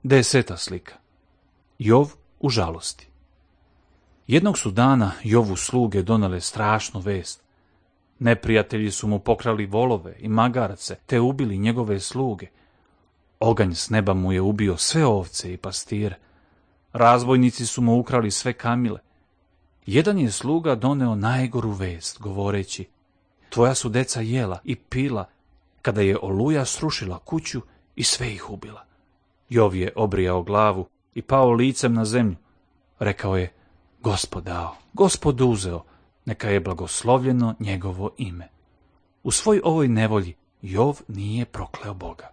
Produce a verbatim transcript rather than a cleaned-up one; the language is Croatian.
Deseta slika. Jov u žalosti. Jednog su dana Jovu sluge donele strašnu vest. Neprijatelji su mu pokrali volove i magarce, te ubili njegove sluge. Oganj s neba mu je ubio sve ovce i pastire. Razbojnici su mu ukrali sve kamile. Jedan je sluga doneo najgoru vest, govoreći: tvoja su deca jela i pila, kada je oluja srušila kuću i sve ih ubila. Jov je obrijao glavu i pao licem na zemlju. Rekao je: Gospod dao, Gospod uzeo, neka je blagoslovljeno njegovo ime. U svoj ovoj nevolji Jov nije prokleo Boga.